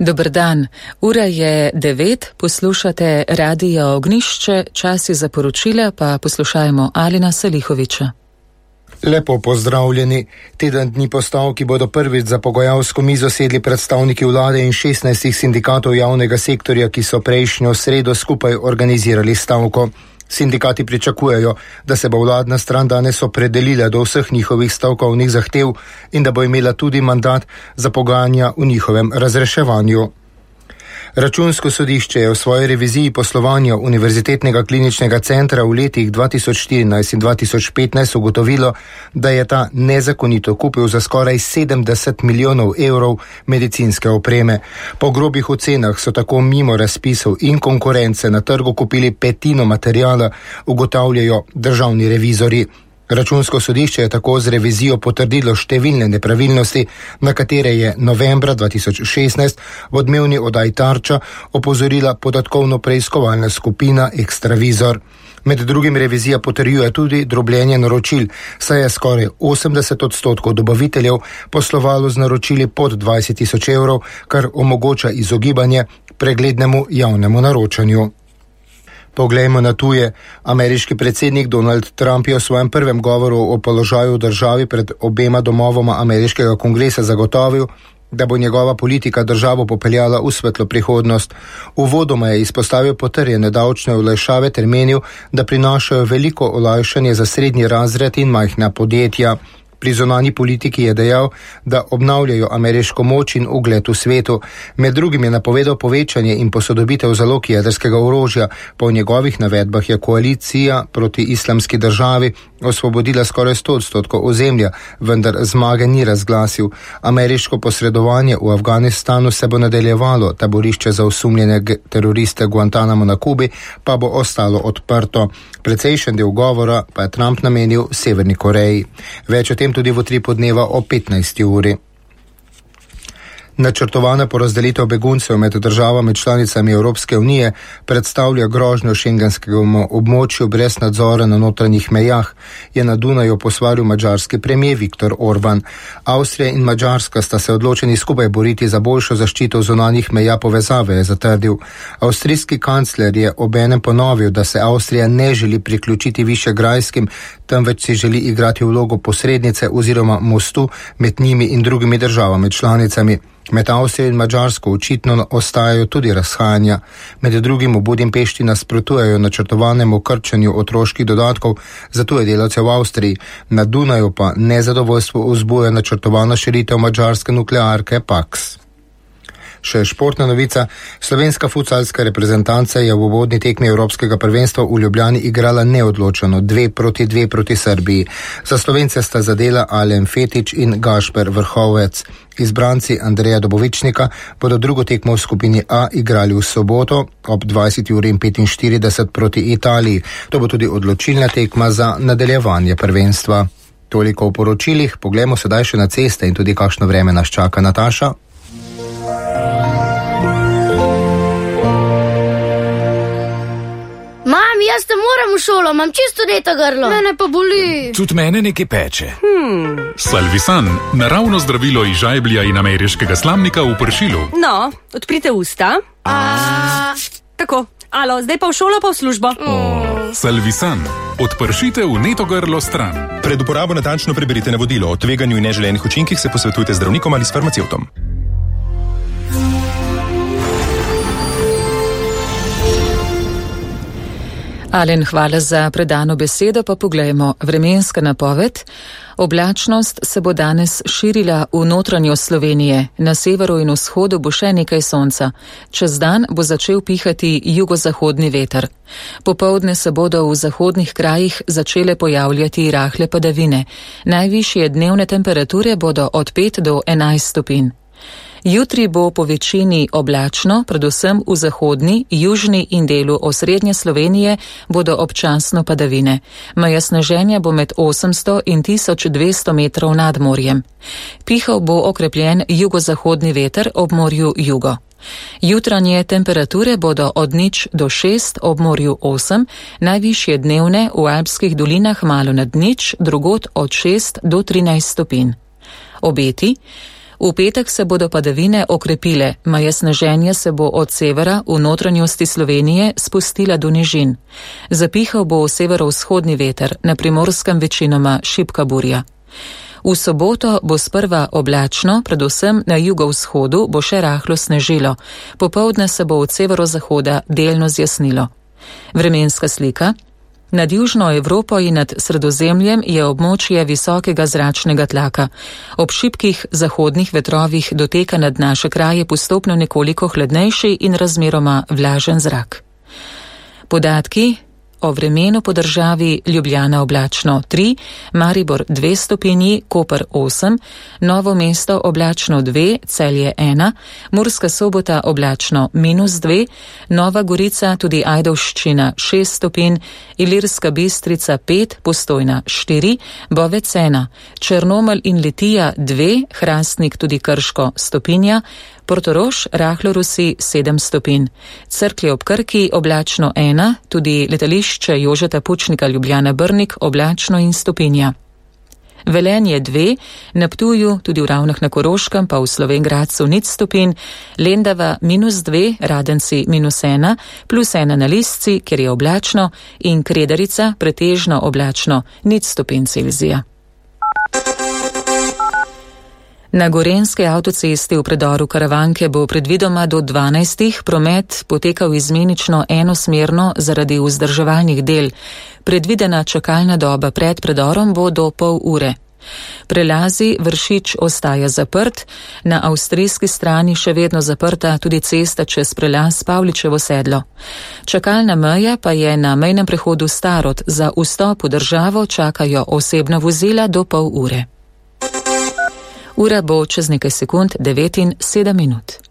Dober dan, ura je 9, poslušate Radio Ognjišče, čas je za poročila, pa poslušajmo Alina Salihoviča. Lepo pozdravljeni. Teden dni po stavki bodo prvič za pogajalsko mizo sedli predstavniki vlade in 16 sindikatov javnega sektorja, ki so prejšnjo sredo skupaj organizirali stavko. Sindikati pričakujejo, da se bo vladna stran danes opredelila do vseh njihovih stavkovnih zahtev in da bo imela tudi mandat za pogajanja v njihovem razreševanju. Računsko sodišče je v svoji reviziji poslovanja Univerzitetnega kliničnega centra v letih 2014 in 2015 ugotovilo, da je ta nezakonito kupil za skoraj 70 milijonov evrov medicinske opreme. Po grobih ocenah so tako mimo razpisov in konkurence na trgu kupili petino materijala, ugotavljajo državni revizori. Računsko sodišče je tako z revizijo potrdilo številne nepravilnosti, na katere je novembra 2016 v odmevni oddaji Tarča opozorila podatkovno preiskovalna skupina Ekstravizor. Med drugim revizija potrjuje tudi drobljenje naročil, saj je skoraj 80% dobaviteljev poslovalo z naročili pod 20 tisoč evrov, kar omogoča izogibanje preglednemu javnemu naročanju. Poglejmo na tuje. Ameriški predsednik Donald Trump je v svojem prvem govoru o položaju v državi pred obema domovoma ameriškega kongresa zagotovil, da bo njegova politika državo popeljala v svetlo prihodnost. Uvodoma je izpostavil potrjene davčne olajšave ter menil, da prinašajo veliko olajšanje za srednji razred in majhna podjetja. Pri zunanji politiki je dejal, da obnavljajo ameriško moč in ugled v svetu. Med drugim je napovedal povečanje in posodobitev zalog jedrskega orožja. Po njegovih navedbah je koalicija proti islamski državi osvobodila skoraj 100% ozemlja, vendar zmage ni razglasil. Ameriško posredovanje v Afganistanu se bo nadaljevalo, taborišče za osumljene teroriste Guantanamo na Kubi pa bo ostalo odprto. Precejšen del govora pa je Trump namenil Severni Koreji. Več o tem tudi v Utripu dneva o 15. uri. Načrtovana porazdelitev beguncev med državami članicami Evropske unije predstavlja grožnjo šengenskemu območju brez nadzora na notranjih mejah, je na Dunaju posvaril madžarski premijer Viktor Orban. Avstrija in Madžarska sta se odločeni skupaj boriti za boljšo zaščito zunanjih meja povezave, je zatrdil. Avstrijski kancler je obenem ponovil, da se Avstrija ne želi priključiti višegrajskim, temveč si želi igrati vlogo posrednice oziroma mostu med njimi in drugimi državami članicami. Med Avstrijo in Madžarsko očitno ostajajo tudi razhajanja. Med drugim v Budimpešti nasprotujejo načrtovanemu krčenju otroških dodatkov za tuje delavce v Avstriji. Na Dunaju pa nezadovoljstvo vzbuja načrtovana širitev madžarske nuklearke Paks. Še športna novica. Slovenska futsalska reprezentanca je v uvodni tekmi Evropskega prvenstva v Ljubljani igrala neodločeno 2-2 proti Srbiji. Za Slovence sta zadela Alen Fetič in Gašper Vrhovec. Izbranci Andreja Dobovičnika bodo drugo tekmo v skupini A igrali v soboto ob 20:45 proti Italiji. To bo tudi odločilna tekma za nadaljevanje prvenstva. Toliko v poročilih, poglejmo sedaj še na ceste in tudi kakšno vreme nas čaka. Nataša. Jaz te moram v šolo, imam čisto deto grlo. Mene pa boli. Tudi mene nekaj peče. Salvisan, naravno zdravilo iz žajblja in ameriškega slamnika v pršilu. No, odprite usta. Tako, alo, zdaj pa v šolo, pa v službo. Salvisan, odpršite vneto grlo stran. Pred uporabo natančno preberite navodilo. O tveganju in neželenih učinkih se posvetujte z zdravnikom ali s farmacevtom. Alen, hvala za predano besedo, pa poglejmo vremenska napoved. Oblačnost se bo danes širila v notranjost Slovenije, na severu in vzhodu bo še nekaj sonca. Čez dan bo začel pihati jugozahodni veter. Popoldne se bodo v zahodnih krajih začele pojavljati rahle padavine. Najvišje dnevne temperature bodo od 5 do 11 stopinj. Jutri bo po večini oblačno, predvsem v zahodni, južni in delu osrednje Slovenije bodo občasno padavine. Meja sneženja bo med 800 in 1200 metrov nad morjem. Pihal bo okrepljen jugozahodni veter ob morju jugo. Jutranje temperature bodo od 0 do 6, ob morju 8, najvišje dnevne v alpskih dolinah malo nad 0, drugod od 6 do 13 stopinj. Obeti. V petek se bodo padavine okrepile, maja sneženje se bo od severa v notranjosti Slovenije spustila do nižin. Zapihal bo severovzhodni veter, na Primorskem večinoma šibka burja. V soboto bo sprva oblačno, predvsem na jugovzhodu bo še rahlo snežilo, popoldne se bo od severozahoda delno zjasnilo. Vremenska slika. Nad južno Evropo in nad Sredozemljem je območje visokega zračnega tlaka. Ob šibkih zahodnih vetrovih doteka nad naše kraje postopno nekoliko hladnejši in razmeroma vlažen zrak. Podatki o vremenu po državi: Ljubljana oblačno 3, Maribor 2 stopinji, Koper 8, Novo mesto oblačno 2, Celje 1, Murska Sobota oblačno -2, Nova Gorica, tudi Ajdovščina 6 stopinj, Ilirska Bistrica 5, Postojna 4, Bovec 1, Črnomelj in Litija 2, Hrastnik, tudi Krško stopinja, Portorož, rahlo rusi 7 stopinj, Cerklje ob Krki oblačno 1, tudi letališče Jožeta Pučnika Ljubljana Brnik oblačno in stopinja. Velenje 2, na Ptuju, tudi v Ravnah na Koroškem, pa v Slovenj Gradcu 0 stopinj, Lendava -2, Radenci -1, +1 na Lisci, kjer je oblačno, in Kredarica pretežno oblačno 0 stopinj Celzija. Na gorenjski avtocesti v predoru Karavanke bo predvidoma do 12. promet potekal izmenično enosmerno zaradi vzdrževalnih del. Predvidena čakalna doba pred predorom bo do pol ure. Prelazi Vršič ostaja zaprt, na avstrijski strani še vedno zaprta tudi cesta čez prelaz Pavličevo sedlo. Čakalna meja pa je na mejnem prehodu Starod, za vstop v državo čakajo osebna vozila do pol ure. Ura bo čez nekaj sekund 9:07.